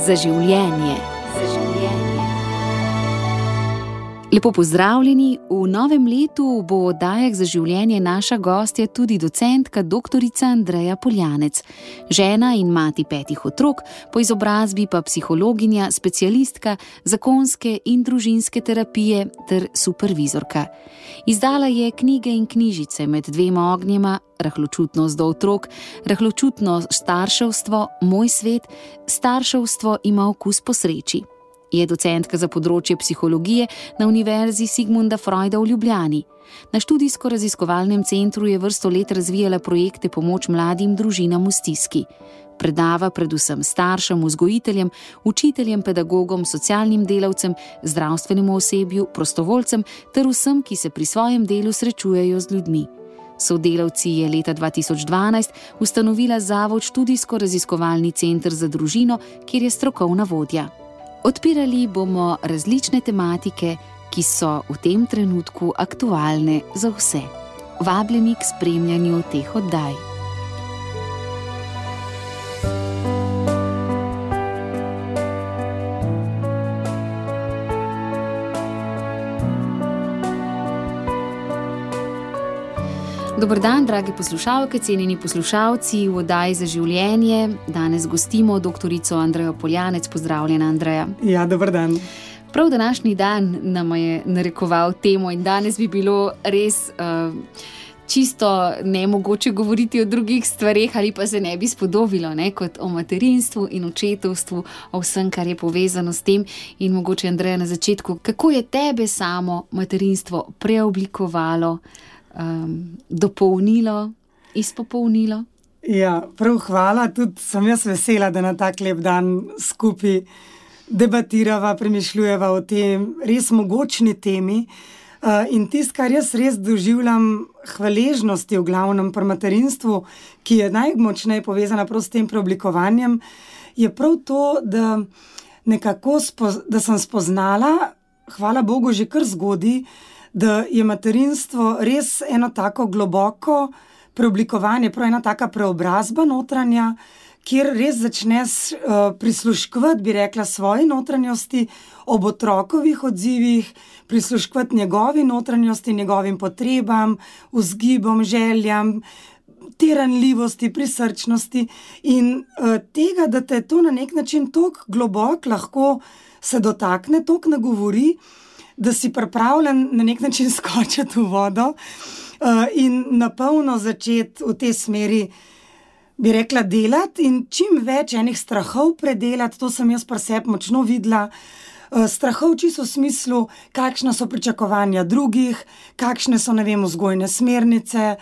za življenje. Lepo pozdravljeni, v novem letu bo v oddajah za življenje naša gostja tudi docentka doktorica Andreja Poljanec, žena in mati 5 otrok, po izobrazbi pa psihologinja, specialistka zakonske in družinske terapije ter supervizorka. Izdala je knjige in knjižice Med dvema ognjema, Rahločutnost do otrok, Rahločutno starševstvo, Moj svet, Starševstvo ima okus po sreči. Je docentka za področje psihologije na Univerzi Sigmunda Freuda v Ljubljani. Na študijsko-raziskovalnem centru je vrsto let razvijala projekte pomoč mladim družinam v stiski. Predava predvsem staršem, vzgojiteljem, učiteljem, pedagogom, socialnim delavcem, zdravstvenemu osebju, prostovoljcem ter vsem, ki se pri svojem delu srečujejo z ljudmi. Sodelavci je leta 2012 ustanovila Zavod Študijsko-raziskovalni center za družino, kjer je strokovna vodja. Odpirali bomo različne tematike, ki so v tem trenutku aktualne za vse. Vabljeni k spremljanju teh oddaj. Dober dan, dragi poslušalke, cenjeni poslušalci v oddaji za življenje. Danes gostimo doktorico Andrejo Poljanec. Pozdravljena, Andreja. Ja, dober dan. Prav današnji dan nam je narekoval temo in danes bi bilo res čisto nemogoče govoriti o drugih stvareh ali pa se ne bi spodobilo, kot o materinstvu in očetovstvu, o vsem, kar je povezano s tem. In mogoče, Andreja, na začetku, kako je tebe samo materinstvo preoblikovalo, dopolnilo, izpopolnilo? Ja, prav hvala. Tudi sem jaz vesela, da na tak lep dan skupaj debatirava, premišljujeva o tem res mogočni temi. In tisto, kar jaz res doživljam hvaležnosti v glavnem pri materinstvu, ki je najmočneje povezana prav s tem preoblikovanjem, je prav to, da nekako da sem spoznala, hvala Bogu, že kar zgodaj, da je materinstvo res eno tako globoko preoblikovanje, prav ena taka preobrazba notranja, kjer res začneš prisluškovati, bi rekla, svoji notranjosti, ob otrokovih odzivih, prisluškovati njegovi notranjosti, njegovim potrebam, vzgibom, željam, te ranljivosti, prisrčnosti in tega, da te to na nek način toliko globoko lahko se dotakne, toliko nagovori, da si pripravljen na nek način skočiti v vodo in na polno začeti v tej smeri, bi rekla, delati in čim več enih strahov predelati. To sem jaz pri sebi močno videla. Strahov čisto v smislu, kakšna so pričakovanja drugih, kakšne so, vzgojne smernice,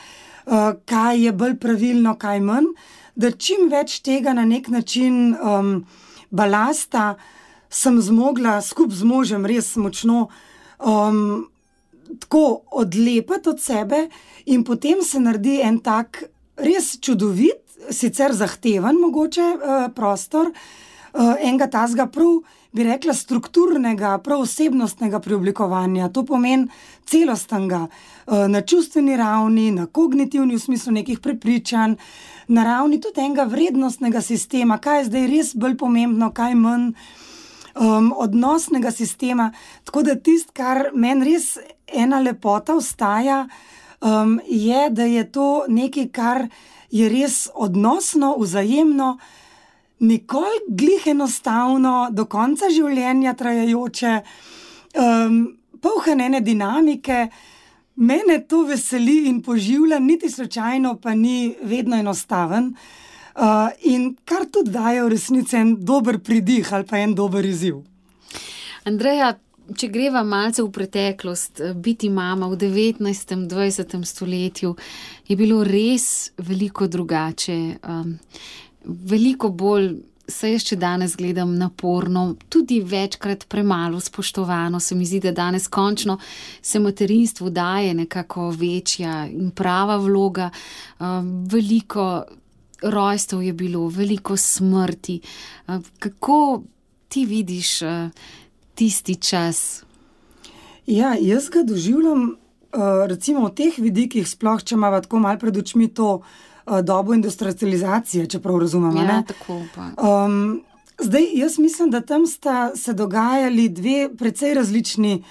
kaj je bolj pravilno, kaj manj, da čim več tega na nek način balasta sem zmogla skupaj z možem res močno tako odlepati od sebe in potem se naredi en tak res čudovit, sicer zahteven mogoče prostor, enega tazga prav, bi rekla, strukturnega, prav osebnostnega preoblikovanja. To pomeni celostnega, na čustveni ravni, na kognitivni, v smislu nekih prepričanj, na ravni tudi enega vrednostnega sistema, kaj je zdaj res bolj pomembno, kaj manj, odnosnega sistema. Tako da tisto, kar meni res ena lepota ostaja, je, da je to nekaj, kar je res odnosno, vzajemno, nikoli glih enostavno, do konca življenja trajajoče, poln ene dinamike. Mene to veseli in poživlja, niti slučajno pa ni vedno enostaven. In kar tudi daje v resnici en dober pridih ali pa en dober izziv. Andreja, če greva malce v preteklost, biti mama v 19. 20. stoletju je bilo res veliko drugače, veliko bolj, saj jaz še danes gledam, naporno, tudi večkrat premalo spoštovano. Se mi zdi, da danes končno se materinstvu daje nekako večja in prava vloga, veliko rojstev je bilo, veliko smrti. Kako ti vidiš tisti čas? Ja, jaz ga doživljam recimo v teh vidikih, sploh če imava tako malo pred očmi to dobo industrializacije, čeprav razumemo, ja, ne? Tako pa. Zdaj, jaz mislim, da tam sta se dogajali dve precej različni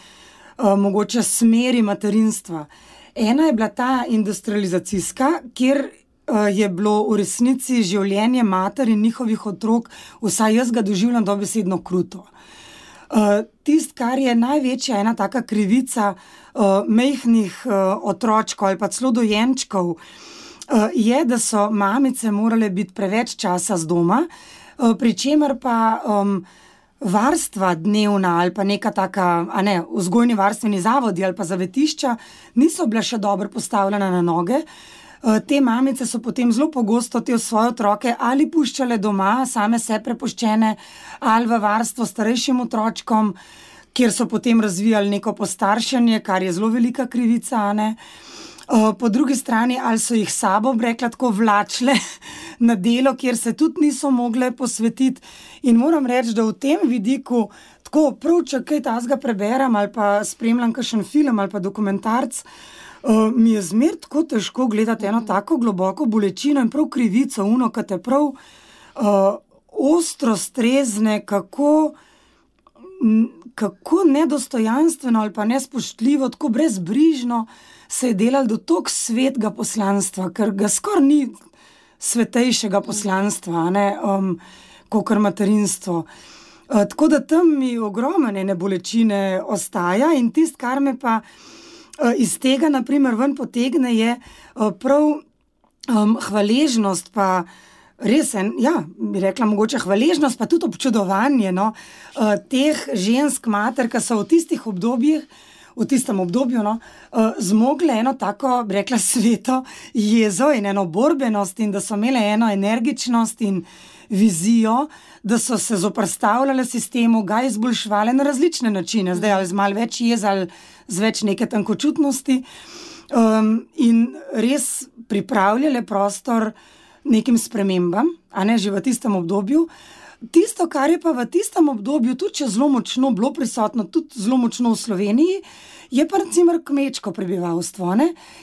mogoče smeri materinstva. Ena je bila ta industrializacijska, kjer je bilo v resnici življenje mater in njihovih otrok, vsaj jaz ga doživljam dobesedno kruto. Tisto, kar je največja ena taka krivica majhnih otročkov ali pa celo dojenčkov, je, da so mamice morale biti preveč časa z doma, pri čemer pa varstva dnevna ali pa neka taka, vzgojni varstveni zavodi ali pa zavetišča niso bila še dobro postavljena na noge. Te mamice so potem zelo pogosto te svoje otroke ali puščale doma, same se prepuščene, ali v varstvo starejšim otročkom, kjer so potem razvijali neko postaršanje, kar je zelo velika krivica, Po drugi strani, ali so jih sabo, rekla tako, vlačile na delo, kjer se tudi niso mogle posvetiti. In moram reči, da v tem vidiku, tako prav, če kaj tazga preberem ali pa spremljam kakšen film ali pa dokumentarc, mi je zmer tako težko gledati eno tako globoko bolečino in prav krivico, ki te prav ostro strezne, kako nedostojanstveno ali pa nespoštljivo, tako brezbrižno se je delalo do toliko svetega poslanstva, ker ga skoraj ni svetejšega poslanstva, kakor materinstvo. Tako da tam mi ogromne bolečine ostaja in tisto, kar me pa iz tega, na primer, ven potegne, je prav hvaležnost, pa res, bi rekla mogoče hvaležnost, pa tudi občudovanje teh žensk mater, ki so v tistih obdobjih, v tistem obdobju, zmogle eno tako, bi rekla, sveto jezo in eno borbenost in da so imele eno energičnost in vizijo, da so se zoperstavljale sistemu, ga izboljševale na različne načine, zdaj ali z malo več jez ali z več neke tankočutnosti, in res pripravljale prostor nekim spremembam, že v tistem obdobju. Tisto, kar je pa v tistem obdobju tudi zelo močno bilo prisotno, tudi zelo močno v Sloveniji, je pa recimo kmečko prebivalstvo.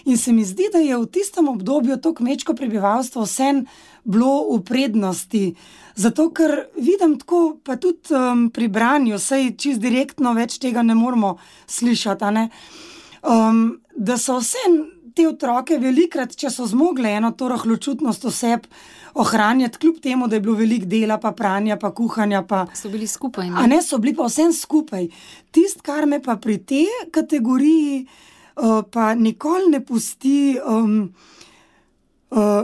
In se mi zdi, da je v tistem obdobju to kmečko prebivalstvo vsem bilo v prednosti. Zato, ker vidim tako, pa tudi pri branju, saj čisto direktno več tega ne moramo slišati, da so vsem te otroke velikrat, če so zmogle eno to rahločutnost oseb ohranjati, kljub temu, da je bilo veliko dela, pa pranja, pa kuhanja, pa... So bili skupaj, so bili pa vsem skupaj. Tisto, kar me pa pri tej kategoriji pa nikoli ne pusti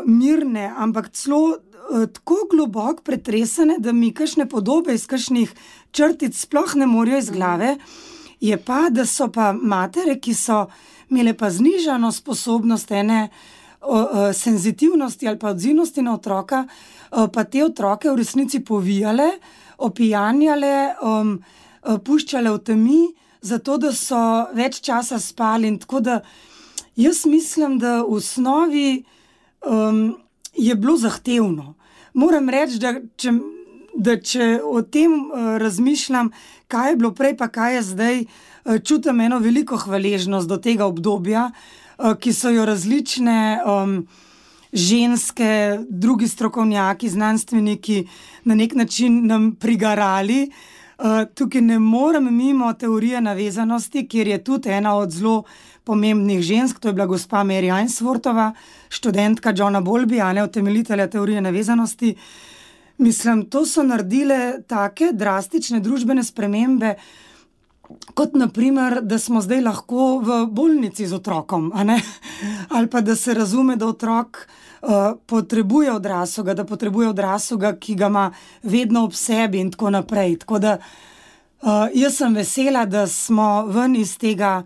mirne, ampak celo tako globoko pretresene, da mi kakšne podobe iz kakšnih črtic sploh ne morejo iz glave, je pa, da so pa matere, ki so imele pa znižano sposobnost senzitivnosti ali pa odzivnosti na otroka, pa te otroke v resnici povijale, opijanjale, puščale v temi, zato da so več časa spali. In tako da jaz mislim, da v osnovi je bilo zahtevno. Moram reči, da če o tem razmišljam, kaj je bilo prej, pa kaj je zdaj, čutim eno veliko hvaležnost do tega obdobja, ki so jo različne ženske, drugi strokovnjaki, znanstveniki na nek način nam prigarali. Tukaj ne morem mimo teorije navezanosti, kjer je tudi ena od zelo pomembnih žensk, to je bila gospa Mary Ainsworthova, študentka Johna Bowlbya, utemeljitelja teorije navezanosti. Mislim, to so naredile take drastične družbene spremembe, kot naprimer, da smo zdaj lahko v bolnici z otrokom, ali pa da se razume, da otrok potrebuje odraslega, da potrebuje odraslega, ki ga ima vedno ob sebi in tako naprej. Tako da jaz sem vesela, da smo ven iz tega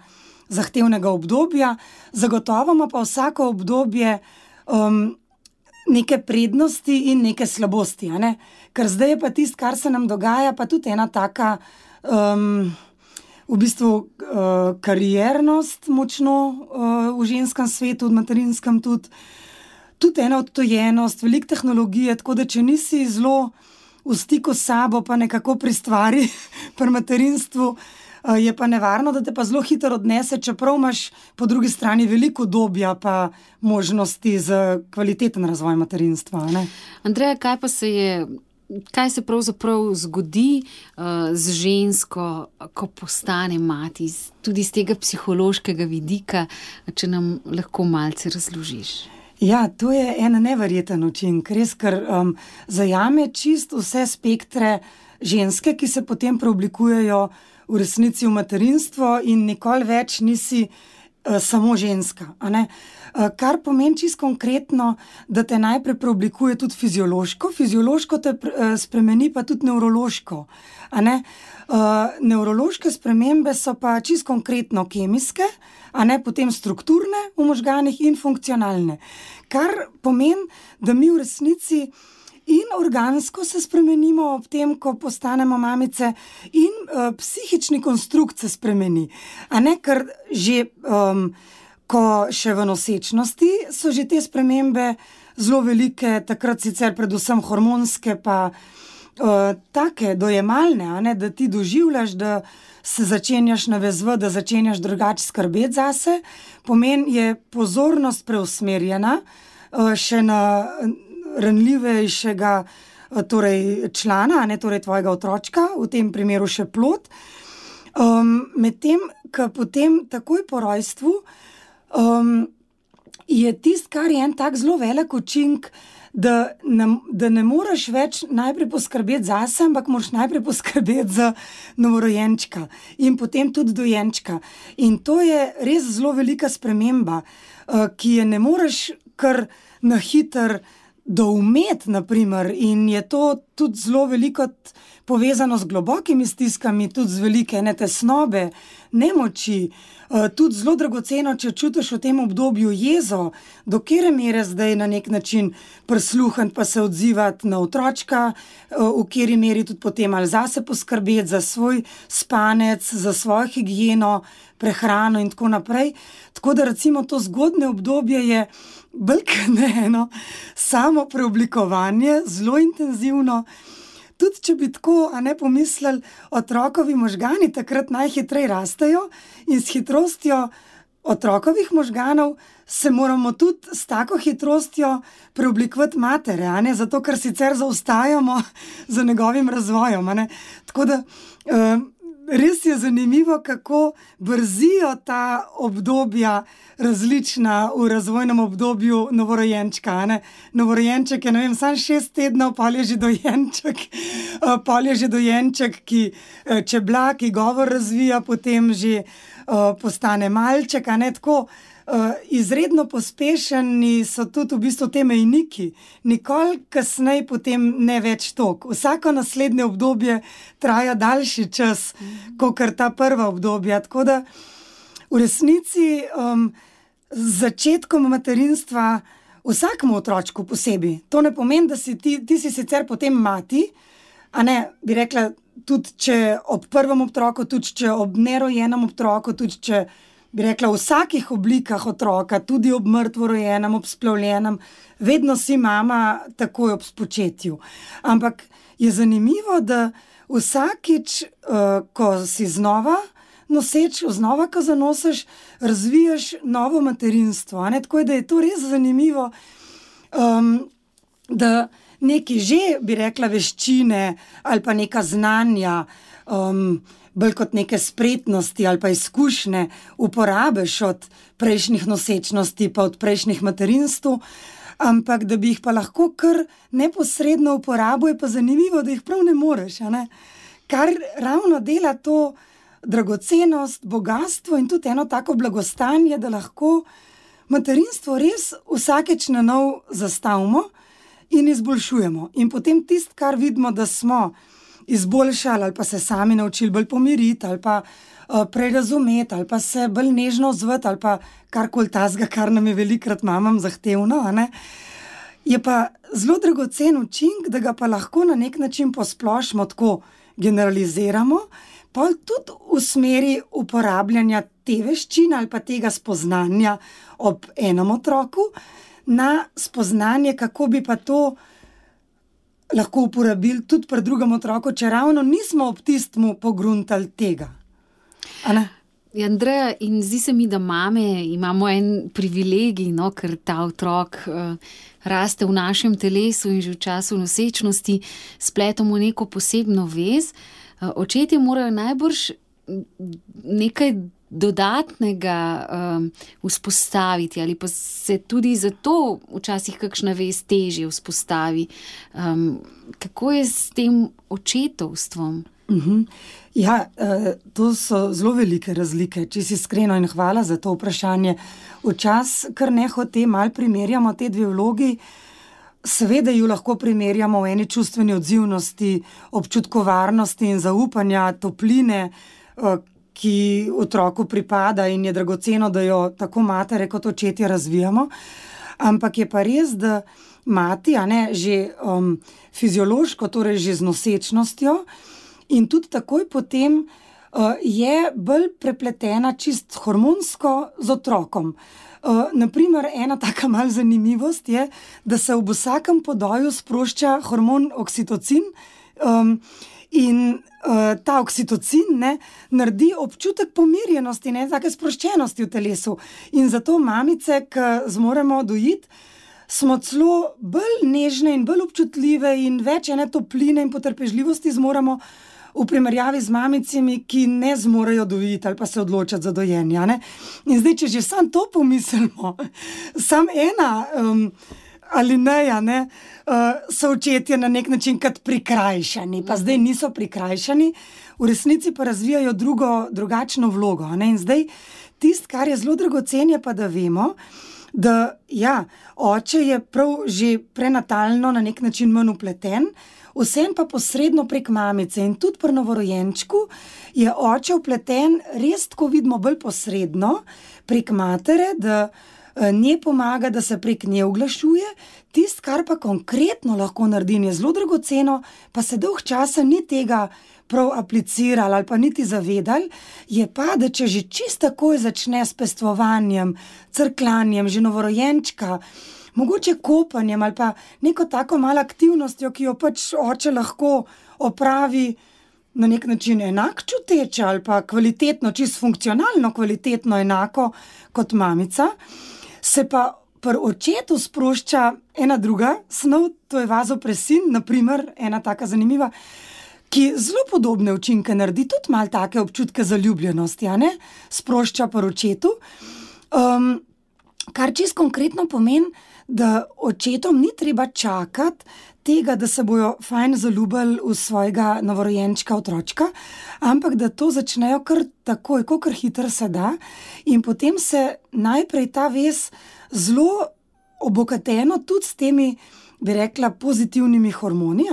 zahtevnega obdobja, zagotovo ima pa vsako obdobje neke prednosti in neke slabosti, Ker zdaj je pa tisto, kar se nam dogaja, pa tudi ena taka v bistvu kariernost močno v ženskem svetu, v materinskem tudi ena odtojenost, veliko tehnologije, tako da če nisi zelo v stiku s sabo, pa nekako pri stvari, pri materinstvu, je pa nevarno, da te pa zelo hitro odnese, čeprav imaš po drugi strani veliko obdobja pa možnosti za kvaliteten razvoj materinstva. Andreja, kaj pa se je kaj se pravzaprav zgodi z žensko, ko postane mati, tudi z tega psihološkega vidika, če nam lahko malce razložiš. Ja, to je en neverjeten učinek, res, ker zajame čisto vse spektre ženske, ki se potem preoblikujejo v resnici v materinstvo in nikoli več nisi samo ženska, a ne? Kar pomeni čisto konkretno, da te najprej preoblikuje tudi fiziološko te spremeni pa tudi nevrološko, a ne? Nevrološke spremembe so pa čisto konkretno kemijske, a ne, potem strukturne v možganih in funkcionalne. Kar pomeni, da mi v resnici in organsko se spremenimo ob tem, ko postanemo mamice, in psihični konstrukt se spremeni. A ne, ker že ko še v nosečnosti so že te spremembe zelo velike, takrat sicer predvsem hormonske, pa take dojemalne, a ne, da ti doživljaš, da se začenjaš navezovati, da začenjaš drugače skrbeti zase, pomeni, je pozornost preusmerjena še na ranljivejšega torej člana, a ne, torej tvojega otročka, v tem primeru še plod. Medtem, ko potem takoj po rojstvu je tisto, kar je en tak zelo velik učinek, da ne moreš več najprej poskrbeti zase, ampak moraš najprej poskrbeti za novorojenčka in potem tudi dojenčka. In to je res zelo velika sprememba, ki je ne moreš kar na hitro doumeti, naprimer, in je to tudi zelo veliko povezano z globokimi stiskami, tudi z velike tesnobe, nemoči, tudi zelo dragoceno, če čutiš v tem obdobju jezo, do katere mere zdaj na nek način prisluhniti pa se odzivati na otročka, v kateri meri tudi potem ali zase poskrbeti, za svoj spanec, za svojo higieno, prehrano in tako naprej. Tako da recimo to zgodnje obdobje je bolj eno samo preoblikovanje, zelo intenzivno. Tudi če bi tako, a ne, pomislili, otrokovi možgani takrat najhitreje rastejo in s hitrostjo otrokovih možganov se moramo tudi s tako hitrostjo preoblikovati matere, a ne, zato ker sicer zaostajamo za njegovim razvojem, a ne. Tako da res je zanimivo, kako brzijo ta obdobja različna v razvojnem obdobju novorojenčka, a ne. Novorojenček je, ne vem, samo 6 tednov, pol je že dojenček, ki čebla, ki govor razvija, potem že postane malček, a ne, tako. Izredno pospešeni so tudi v bistvu te mejniki. Nikoli kasneje potem ne več toliko. Vsako naslednje obdobje traja daljši čas, kakor ta prva obdobja. Tako da v resnici z začetkom materinstva vsakemu otročku posebej. To ne pomeni, da si ti si sicer potem mati, a ne, bi rekla, tudi če ob prvem otroku, tudi če ob nerojenem otroku, tudi če bi rekla, v vsakih oblikah otroka, tudi ob mrtvorojenem, ob splavljenem, vedno si mama takoj ob spočetju. Ampak je zanimivo, da vsakič, ko si znova noseč, znova, ko zanosiš, razvijaš novo materinstvo, a ne, tako da je to res zanimivo, da neki že, bi rekla, veščine ali pa neka znanja, bolj kot neke spretnosti ali pa izkušnje uporabiš od prejšnjih nosečnosti pa od prejšnjih materinstv, ampak da bi jih pa lahko kar neposredno uporabil, je pa zanimivo, da jih prav ne moreš, a ne. Kar ravno dela to dragocenost, bogastvo in tudi eno tako blagostanje, da lahko materinstvo res vsakeč na nov zastavimo in izboljšujemo. In potem tisto, kar vidimo, da smo izboljšali ali pa se sami naučili bolj pomiriti ali pa prej razumeti ali pa se bolj nežno odzvati ali pa karkoli tazga, kar nam je velikokrat mamam zahtevno, a ne, je pa zelo dragocen učinek, da ga pa lahko na nek način posplošimo, tako generaliziramo, pa tudi v smeri uporabljanja te veščine ali pa tega spoznanja ob enem otroku na spoznanje, kako bi pa to lahko uporabili tudi pri drugem otroku, če ravno nismo ob tistmu pogruntali tega. A ne? Andreja, in zdi se mi, da mame imamo en privilegij, no, ker ta otrok raste v našem telesu in že v času nosečnosti spletamo neko posebno vez. Očetje morajo najbrž nekaj dodatnega vzpostaviti ali pa se tudi zato včasih kakšna vez težje vzpostavi. Kako je s tem očetovstvom? Ja, to so zelo velike razlike, če si iskreno, in hvala za to vprašanje. Včasih kar nehote malo primerjamo te dve vlogi, seveda ju lahko primerjamo v eni čustveni odzivnosti, občutkovarnosti in zaupanja, topline, ki otroku pripada in je dragoceno, da jo tako matere kot očetje razvijamo. Ampak je pa res, da mati, že fiziološko, torej že z nosečnostjo, in tudi takoj potem je bolj prepletena čist hormonsko z otrokom. Naprimer, ena taka mal zanimivost je, da se ob vsakem podoju sprošča hormon oksitocin in ta oksitocin naredi občutek pomirjenosti, take sproščenosti v telesu. In zato mamice, ki zmoremo dojiti, smo celo bolj nežne in bolj občutljive in več ene topline in potrpežljivosti zmoremo v primerjavi z mamicami, ki ne zmorejo dojiti ali pa se odločati za dojenje. In zdaj, če že sam to pomislimo, sam ena alineja, so očetje na nek način kot prikrajšani, pa zdaj niso prikrajšani, v resnici pa razvijajo drugačno vlogo. In zdaj, tisto, kar je zelo dragocen, je pa, da vemo, da oče je prav že prenatalno na nek način manj vpleten, vsem pa posredno prek mamice. In tudi pri novorojenčku je oče vpleten res, tako vidimo, bolj posredno prek matere, da nje pomaga, da se prek nje oglašuje. Tisto, kar pa konkretno lahko naredi, je zelo dragoceno, pa se dolg časa ni tega prav aplicirali ali pa niti zavedali, je pa, da če že čisto takoj začne s pestvovanjem, crklanjem, že novorojenčka, mogoče kopanjem ali pa neko tako malo aktivnostjo, ki jo pač oče lahko opravi na nek način enak čuteče ali pa kvalitetno, čisto funkcionalno kvalitetno enako kot mamica, se pa pri očetu sprošča ena druga snov, to je vazopresin, naprimer, ena taka zanimiva, ki zelo podobne učinke naredi, tudi malo take občutke zaljubljenosti, sprošča pri očetu, kar čisto konkretno pomeni, da očetom ni treba čakati tega, da se bojo fajn zaljubili v svojega novorojenčka otročka, ampak da to začnejo kar takoj, kakor hitro se da, in potem se najprej ta vez zelo obogateno tudi s temi, bi rekla, pozitivnimi hormoni,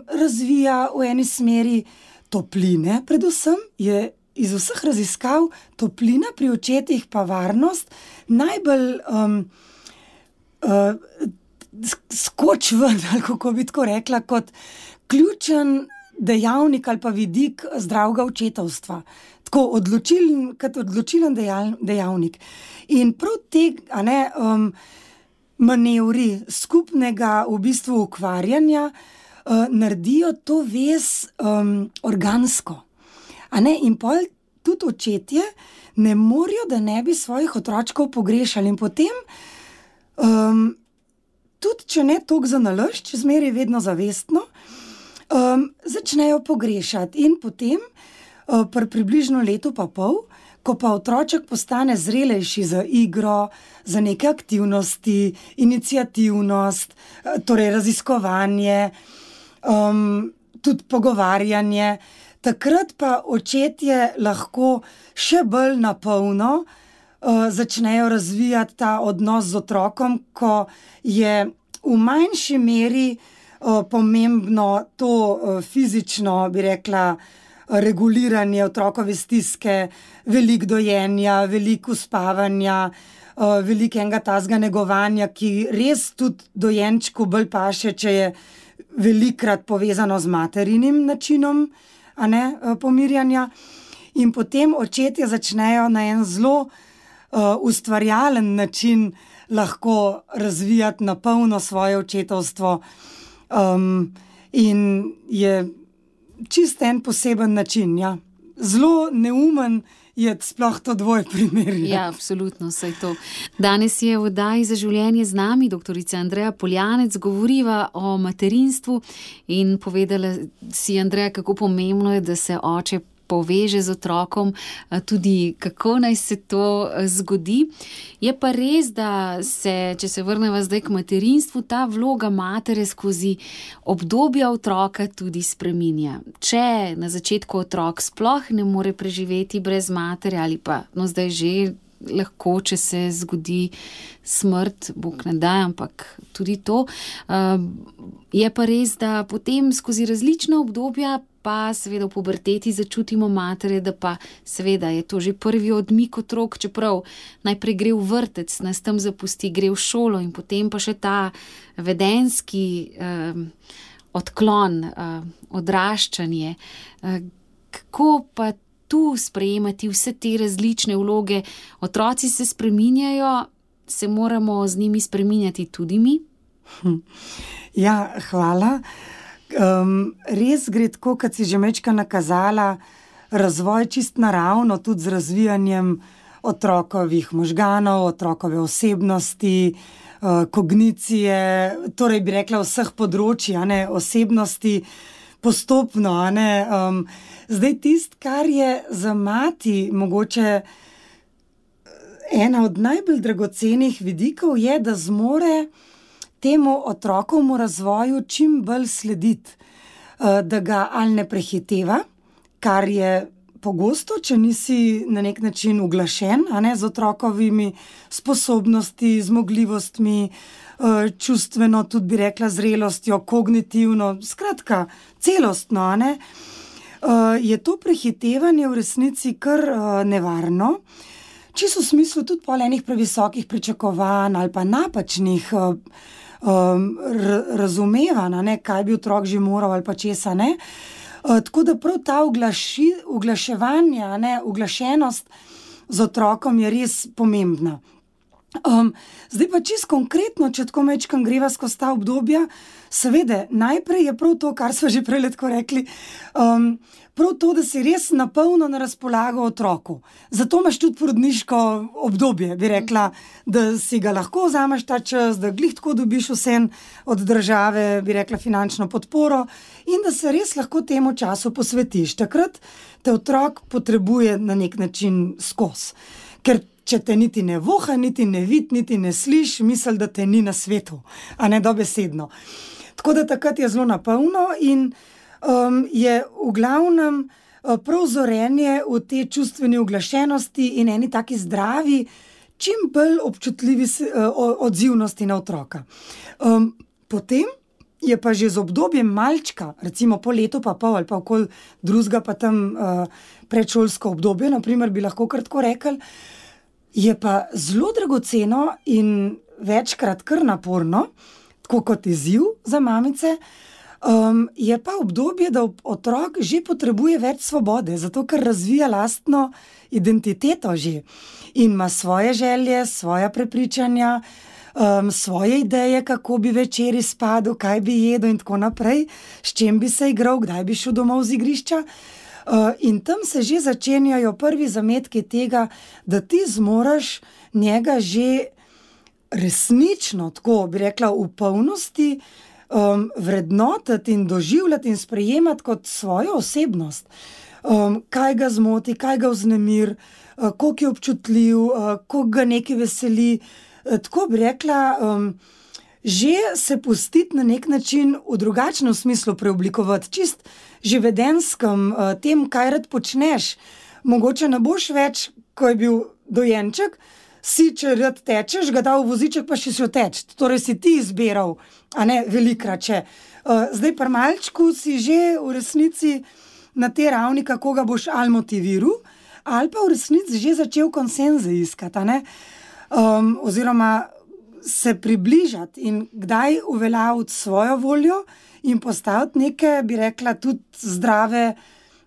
razvija v eni smeri topline, predvsem je iz vseh raziskav toplina pri očetih pa varnost najbolj skoč ven, ali kako bi tako rekla, kot ključen dejavnik ali pa vidik zdravega očetovstva. Tako odločilen dejavnik. In prav te manevri skupnega v bistvu ukvarjanja naredijo to vez organsko. In pol tudi očetje ne morajo, da ne bi svojih otročkov pogrešali. In potem tudi, če ne toliko za nalašč, zmeraj vedno zavestno, začnejo pogrešati. In potem, pri približno letu pa pol, ko pa otroček postane zrelejši za igro, za neke aktivnosti, iniciativnost, torej raziskovanje, tudi pogovarjanje, takrat pa očetje lahko še bolj napolno začnejo razvijati ta odnos z otrokom, ko je v manjši meri pomembno to fizično, bi rekla, reguliranje otrokove stiske, veliko dojenja, veliko uspavanja, veliko enega tazga negovanja, ki res tudi dojenčku bolj paše, če je velikrat povezano z materinim načinom pomirjanja. In potem očetje začnejo na en zelo ustvarjalen način lahko razvijati na polno svoje očetovstvo. In je čist en poseben način, ja. Zelo neumen je sploh to dvoj primer. Ja, absolutno, saj to. Danes je v oddaji Za življenje z nami doktorica Andreja Poljanec, govoriva o materinstvu in povedala si, Andreja, kako pomembno je, da se oče poveže z otrokom, tudi kako naj se to zgodi. Je pa res, da se, če se vrneva zdaj k materinstvu, ta vloga matere skozi obdobja otroka tudi spreminja. Če na začetku otrok sploh ne more preživeti brez matere ali pa, zdaj že lahko, če se zgodi smrt, Bog ne daj, ampak tudi to. Je pa res, da potem skozi različna obdobja pa seveda v puberteti začutimo matere, da pa seveda je to že prvi odmik otrok, čeprav najprej gre v vrtec, nas tam zapusti, gre v šolo in potem pa še ta vedenjski odklon, odraščanje. Kako pa tu sprejemati vse te različne vloge? Otroci se spreminjajo, se moramo z njimi spreminjati tudi mi? Ja, hvala. Res gre tako, kot si že mečka nakazala, razvoj čist naravno, tudi z razvijanjem otrokovih možganov, otrokove osebnosti, kognicije, torej bi rekla vseh področji, osebnosti postopno. Zdaj kar je za mati mogoče ena od najbolj dragocenih vidikov, je, da zmore temu otrokovmu razvoju čim bolj slediti, da ga ali ne prehiteva, kar je pogosto, če nisi na nek način uglašen, z otrokovimi sposobnosti, zmogljivostmi, čustveno, tudi bi rekla zrelostjo, kognitivno, skratka, celostno, je to prehitevanje v resnici kar nevarno. Čisto v smislu tudi pol enih previsokih pričakovanj ali pa napačnih razumevanj, kaj bi otrok že moral ali pa česa ne. Tako da prav ta uglaševanje, uglašenost z otrokom je res pomembna. Zdaj pa čisto konkretno, če tako mečkam greva skozi ta obdobja, seveda, najprej je prav to, kar smo že prej tako rekli, prav to, da si res napolno na razpolago otroku. Zato imaš tudi porodniško obdobje, bi rekla, da si ga lahko vzameš ta čas, da glih tako dobiš vsem od države, bi rekla, finančno podporo in da se res lahko temu času posvetiš. Takrat te otrok potrebuje na nek način skozi. Ker če te niti ne voha, niti ne vid, niti ne sliš, misli, da te ni na svetu, a ne dobesedno. Tako da takrat je zelo napolno in je v glavnem prav zorenje v te čustveni uglašenosti in eni taki zdravi, čim bolj občutljivi odzivnosti na otroka. Potem je pa že z obdobjem malčka, recimo po letu pa pol ali pa okoli drugega pa tam predšolsko obdobje, naprimer bi lahko kar tako rekli, je pa zelo dragoceno in večkrat kar naporno, tako kot izziv za mamice, je pa obdobje, da otrok že potrebuje več svobode, zato ker razvija lastno identiteto že in ima svoje želje, svoja prepričanja, svoje ideje, kako bi večeri spadal, kaj bi jedel in tako naprej, s čim bi se igral, kdaj bi šel domov z igrišča. In tam se že začenjajo prvi zametki tega, da ti zmoraš njega že resnično, tako bi rekla, v polnosti vrednotiti in doživljati in sprejemati kot svojo osebnost. Kaj ga zmoti, kaj ga vznemir, koliko je občutljiv, koliko ga nekaj veseli. Tako bi rekla, že se pustiti na nek način v drugačnem smislu preoblikovati, čist že vedenskem, tem, kaj rad počneš. Mogoče ne boš več, ko je bil dojenček, si, če rad tečeš, ga dal v voziček, pa še šel teč. Torej si ti izbiral, a ne velikrat še. Zdaj pri malčku si že v resnici na te ravni, kako ga boš ali motiviral, ali pa v resnici že začel konsenze iskati, a ne? Oziroma se približati in kdaj uveljaviti svojo voljo in postaviti neke, bi rekla, tudi zdrave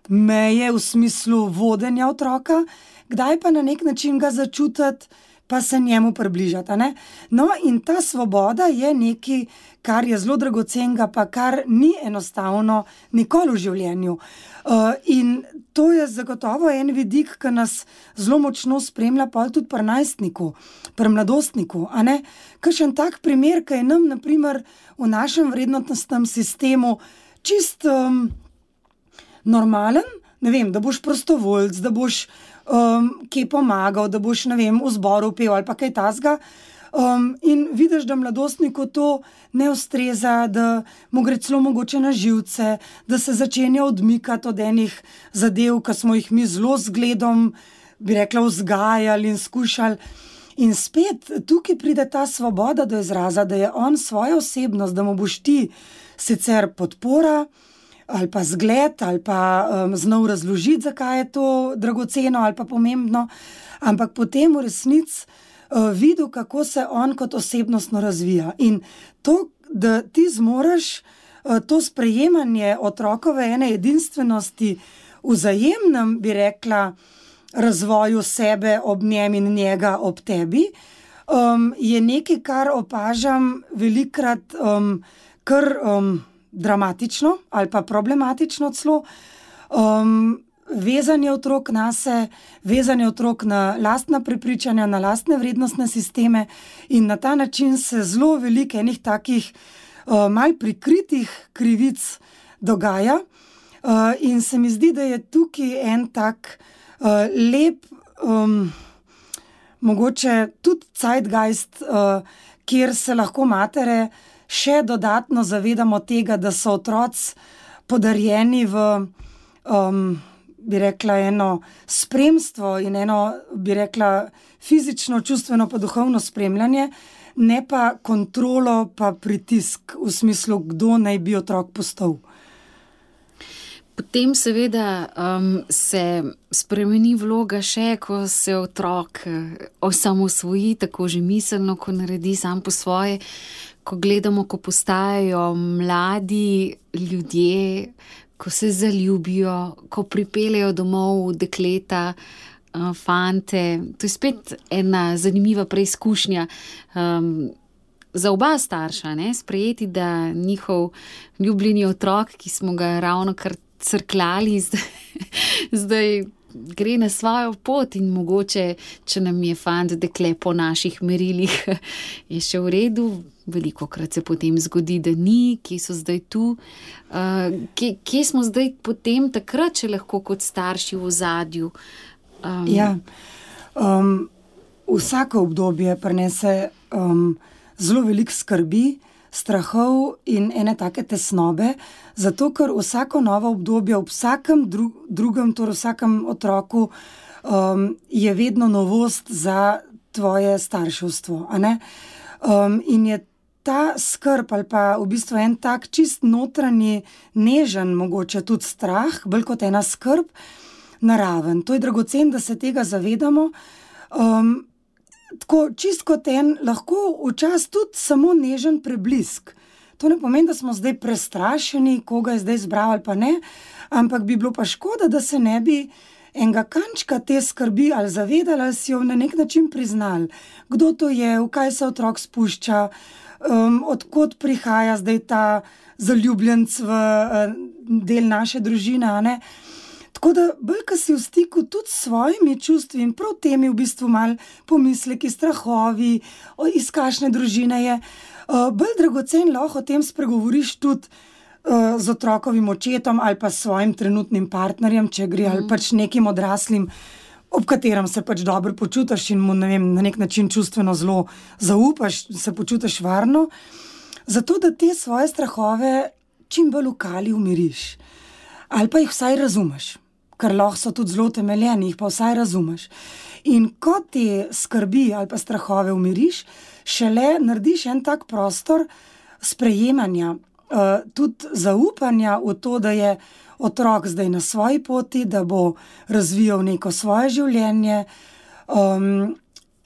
meje v smislu vodenja otroka, kdaj pa na nek način ga začutiti pa se njemu približati. A ne? No, in ta svoboda je nekaj, kar je zelo dragocenega, pa kar ni enostavno nikoli v življenju. In to je zagotovo en vidik, ki nas zelo močno spremlja, pa tudi pri najstniku, pri mladostniku. Kakšen tak primer, ki je nam, na primer, v našem vrednostnem sistemu čist normalen, ne vem, da boš prostovoljc, da boš kje pomagal, da boš, ne vem, v zboru pel ali pa kaj tasga. In vidiš, da mladostniku to ne ustreza, da mu gre celo mogoče na živce, da se začenja odmikati od enih zadev, ki smo jih mi zelo zgledom, bi rekla, vzgajali in skušali. In spet tukaj pride ta svoboda do izraza, da je on svojo osebnost, da mu boš ti sicer podpora ali pa zgled ali pa znal razložiti, zakaj je to dragoceno ali pa pomembno, ampak potem v resnici videl, kako se on kot osebnostno razvija. In to, da ti zmoreš to sprejemanje otrokove ene edinstvenosti v vzajemnem, bi rekla, razvoju sebe ob njem in njega ob tebi, je nekaj, kar opažam velikokrat kar dramatično ali pa problematično celo. Vezanje otrok nase, vezanje otrok na lastna prepričanja, na lastne vrednostne sisteme in na ta način se zelo veliko enih takih mal prikritih krivic dogaja. In se mi zdi, da je tukaj en tak lep, mogoče tudi zeitgeist, kjer se lahko matere še dodatno zavedamo tega, da so otroci podarjeni v, bi rekla, eno spremstvo in eno, bi rekla, fizično, čustveno pa duhovno spremljanje, ne pa kontrolo pa pritisk v smislu, kdo naj bi otrok postal. Potem seveda se spremeni vloga še, ko se otrok osamosvoji, tako že miselno, ko naredi sam po svoje, ko gledamo, ko postajajo mladi ljudje, ko se zaljubijo, ko pripeljejo domov dekleta, fante. To je spet ena zanimiva preizkušnja za oba starša, ne? Sprejeti, da njihov ljubljeni otrok, ki smo ga ravno kar crkljali, zdaj gre na svojo pot in mogoče, če nam je fant dekle po naših merilih, je še v redu. Velikokrat se potem zgodi, da ni, kje so zdaj tu. Kje smo zdaj potem takrat, če lahko kot starši v ozadju? Vsako obdobje prinese zelo veliko skrbi, strahov in ene take tesnobe, zato ker vsako novo obdobje ob vsakem drugem, torej vsakem otroku, je vedno novost za tvoje starševstvo. In je ta skrb ali pa v bistvu en tak čist notranji, nežen, mogoče tudi strah, bolj kot ena skrb, naraven. To je dragocen, da se tega zavedamo. Tako čist kot en, lahko včasih tudi samo nežen preblisk. To ne pomeni, da smo zdaj prestrašeni, koga je zdaj zbral ali pa ne, ampak bi bilo pa škoda, da se ne bi enega kančka te skrbi ali zavedali, ali si jo na nek način priznali. Kdo to je, v kaj se otrok spušča, odkot prihaja zdaj ta zaljubljenc v del naše družine, Tako da bolj, ko si v stiku tudi s svojimi čustvi in prav temi v bistvu mal pomisleki, strahovi, iz kakšne družine je, bolj dragocen lahko o tem spregovoriš tudi z otrokovim očetom ali pa s svojim trenutnim partnerjem, če gre, ali pač nekim odraslim, ob katerem se pač dobro počutiš in mu, ne vem, na nek način čustveno zelo zaupaš, se počutiš varno, zato da te svoje strahove čim bolj v kali umiriš. Ali pa jih vsaj razumeš, ker lahko so tudi zelo temeljeni, jih pa vsaj razumeš. In ko te skrbi ali pa strahove umiriš, šele narediš en tak prostor sprejemanja, tudi zaupanja v to, da je otrok zdaj na svoji poti, da bo razvijal neko svoje življenje,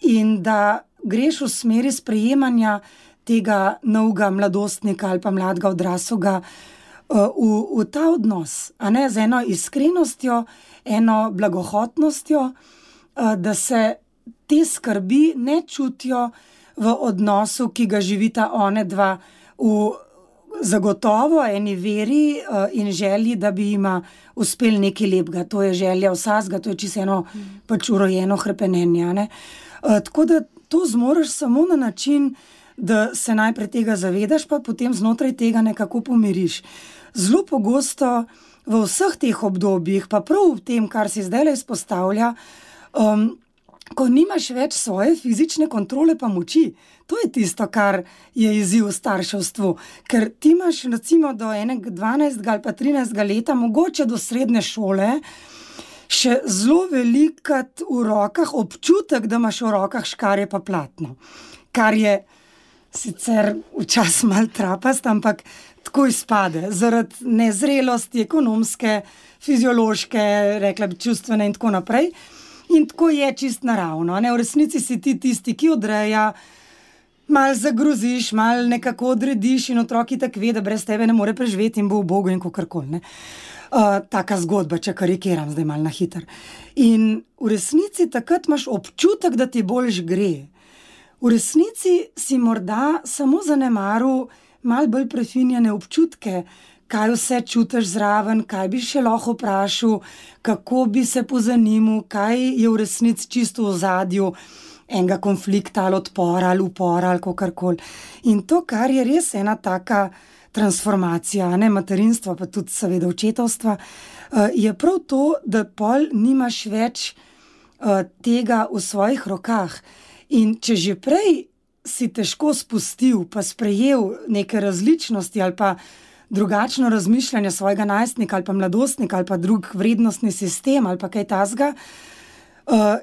in da greš v smeri sprejemanja tega novega mladostnika ali pa mladega odraslega v ta odnos, z eno iskrenostjo, eno blagohotnostjo, da se te skrbi ne čutijo v odnosu, ki ga živita one dva v zagotovo eni veri in želji, da bi jima uspel nekaj lepega. To je želja vsakega, to je čisto eno pač urojeno hrepenenje, ne. Tako da to zmoreš samo na način, da se najprej tega zavedaš, pa potem znotraj tega nekako pomiriš. Zelo pogosto v vseh teh obdobjih, pa prav v tem, kar si zdajle izpostavlja, ko nimaš več svoje fizične kontrole pa moči, to je tisto, kar je izziv v starševstvu. Ker ti imaš recimo do 12. ali pa 13. leta, mogoče do srednje šole, še zelo velikat v rokah občutek, da imaš v rokah škarje pa platno. Kar je sicer včasih malo trapast, ampak tako izpade. Zaradi nezrelosti, ekonomske, fiziološke, rekla bi čustvene in tako naprej. In tako je čist naravno, ne? V resnici si ti tisti, ki odreja, malo zagroziš, malo nekako odrediš in otrok itak ve, da brez tebe ne more preživeti in bo ubogo in kakorkoli, ne. Taka zgodba, če karikiram zdaj malo na hitro. In v resnici takrat imaš občutek, da ti boljš gre. V resnici si morda samo zanemaril malo bolj prefinjene občutke, kaj vse čutiš zraven, kaj bi še lahko vprašal, kako bi se pozanimal, kaj je v resnici čisto v ozadju enega konflikta ali odpora ali upora ali kakorkoli. In to, kar je res ena taka transformacija, ne, materinstva, pa tudi seveda očetovstva, je prav to, da pol nimaš več tega v svojih rokah. In če že prej si težko spustil, pa sprejel neke različnosti ali pa drugačno razmišljanje svojega najstnika ali pa mladostnika ali pa drug vrednostni sistem ali pa kaj takega,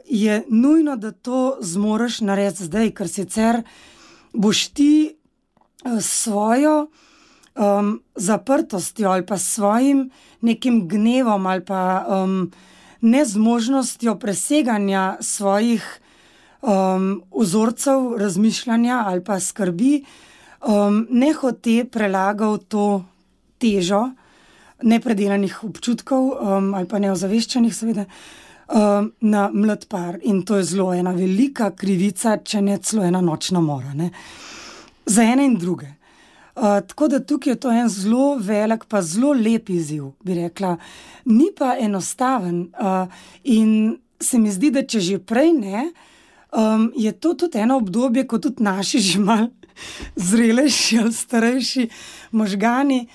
je nujno, da to zmoreš narediti zdaj, ker sicer boš ti svojo zaprtostjo ali pa svojim nekim gnevom ali pa nezmožnostjo preseganja svojih vzorcev razmišljanja ali pa skrbi nehote prelagal to težo nepredelanih občutkov ali pa neozaveščenih seveda na mlad par. In to je zelo ena velika krivica, če ne celo ena nočna mora, ne. Za ene in druge. Tako da tukaj je to en zelo velik pa zelo lep izziv, bi rekla. Ni pa enostaven in se mi zdi, da če že prej ne, je to tudi eno obdobje, ko tudi naši že malo zrelejši ali starejši možgani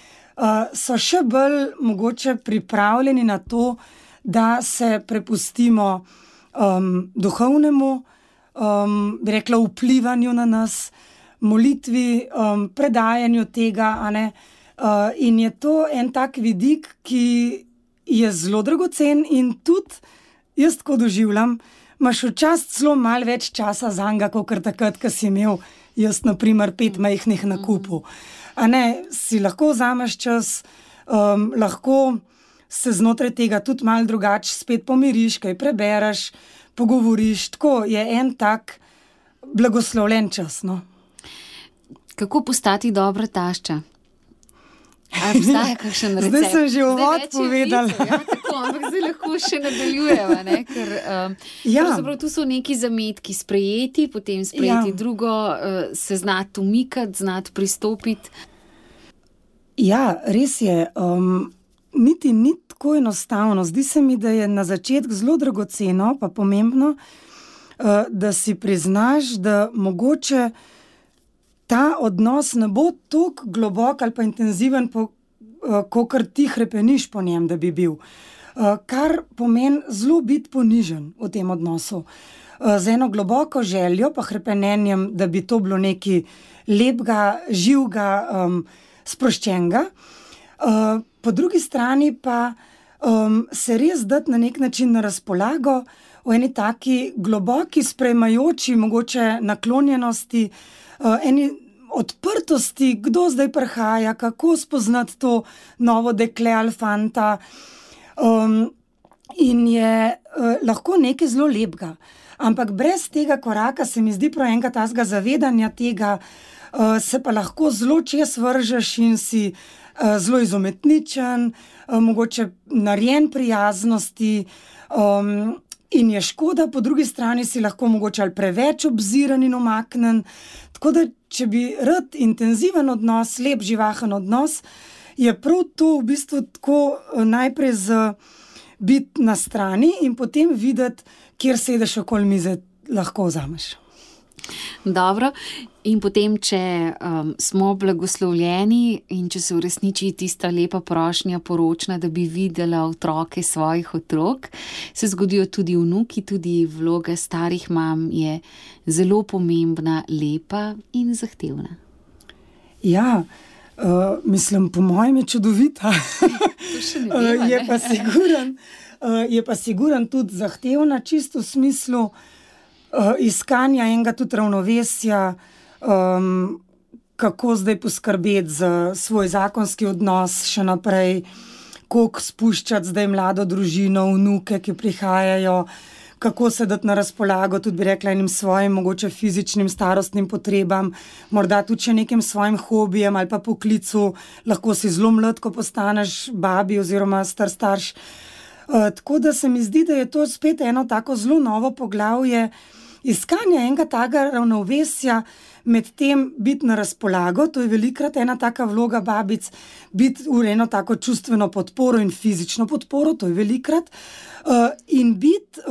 so še bolj mogoče pripravljeni na to, da se prepustimo duhovnemu, bi rekla, vplivanju na nas, molitvi, predajanju tega, a ne. In je to en tak vidik, ki je zelo dragocen in tudi jaz tako doživljam, imaš včasih celo malo več časa zanj, kakor takrat, ko si imel jaz, na primer, 5 majhnih nakupov. A ne, si lahko vzameš čas, lahko se znotraj tega tudi malo drugače spet pomiriš, kaj prebereš, pogovoriš, tako je en tak blagoslovljen čas, no. Kako postati dobra tašča? Ali obstaja kakšen recept? Zdaj sem že uvod povedala. Ja, tako, ampak zdaj lahko še nadaljujeva, ne? Ker pravzaprav tu so neki zametki sprejeti, potem sprejeti drugo, se znati umikati, znati pristopiti. Ja, res je. Niti ni tako enostavno. Zdi se mi, da je na začetku zelo dragoceno pa pomembno, da si priznaš, da mogoče ta odnos ne bo toliko globok ali pa intenziven, kakor ti hrepeniš po njem, da bi bil. Kar pomeni zelo biti ponižen v tem odnosu. Z eno globoko željo pa hrepenenjem, da bi to bilo nekaj lepega, živega, sproščenega. Po drugi strani pa se res dati na nek način na razpolago v eni taki globoki, sprejemajoči, mogoče naklonjenosti, eni odprtosti, kdo zdaj prihaja, kako spoznati to novo dekle ali fanta. In je lahko nekaj zelo lepega. Ampak brez tega koraka se mi zdi prav enega tazga zavedanja tega, se pa lahko zelo čez vržeš in si zelo izumetničen, mogoče narejen prijaznosti, In je škoda, po drugi strani si lahko mogoče ali preveč obziran in omaknen. Tako da, če bi rad intenziven odnos, lep, živahen odnos, je prav to v bistvu tako najprej biti na strani in potem videti, kjer sedeš okoli mize, lahko vzameš. Dobro, in potem, če smo blagoslovljeni in če se uresniči tista lepa prošnja poročna, da bi videla otroke svojih otrok, se zgodijo tudi vnuki, tudi vloga starih mam je zelo pomembna, lepa in zahtevna. Ja, mislim, po mojem je čudovita. To še ne vem, ne? Je pa siguran tudi zahtevna, čisto v smislu iskanja enega tudi ravnovesja, kako zdaj poskrbeti za svoj zakonski odnos še naprej, koliko spuščati zdaj mlado družino, vnuke, ki prihajajo, kako se dati na razpolago, tudi bi rekla enim svojim mogoče fizičnim, starostnim potrebam, morda tudi še nekim svojim hobijem ali pa poklicu, lahko si zelo mlad, ko postaneš babi oziroma starš. Tako da se mi zdi, da je to spet eno tako zelo novo poglavje, iskanje enega takega ravnovesja med tem biti na razpolago, to je velikrat ena taka vloga babic, biti v eno tako čustveno podporo in fizično podporo, to je velikrat, in biti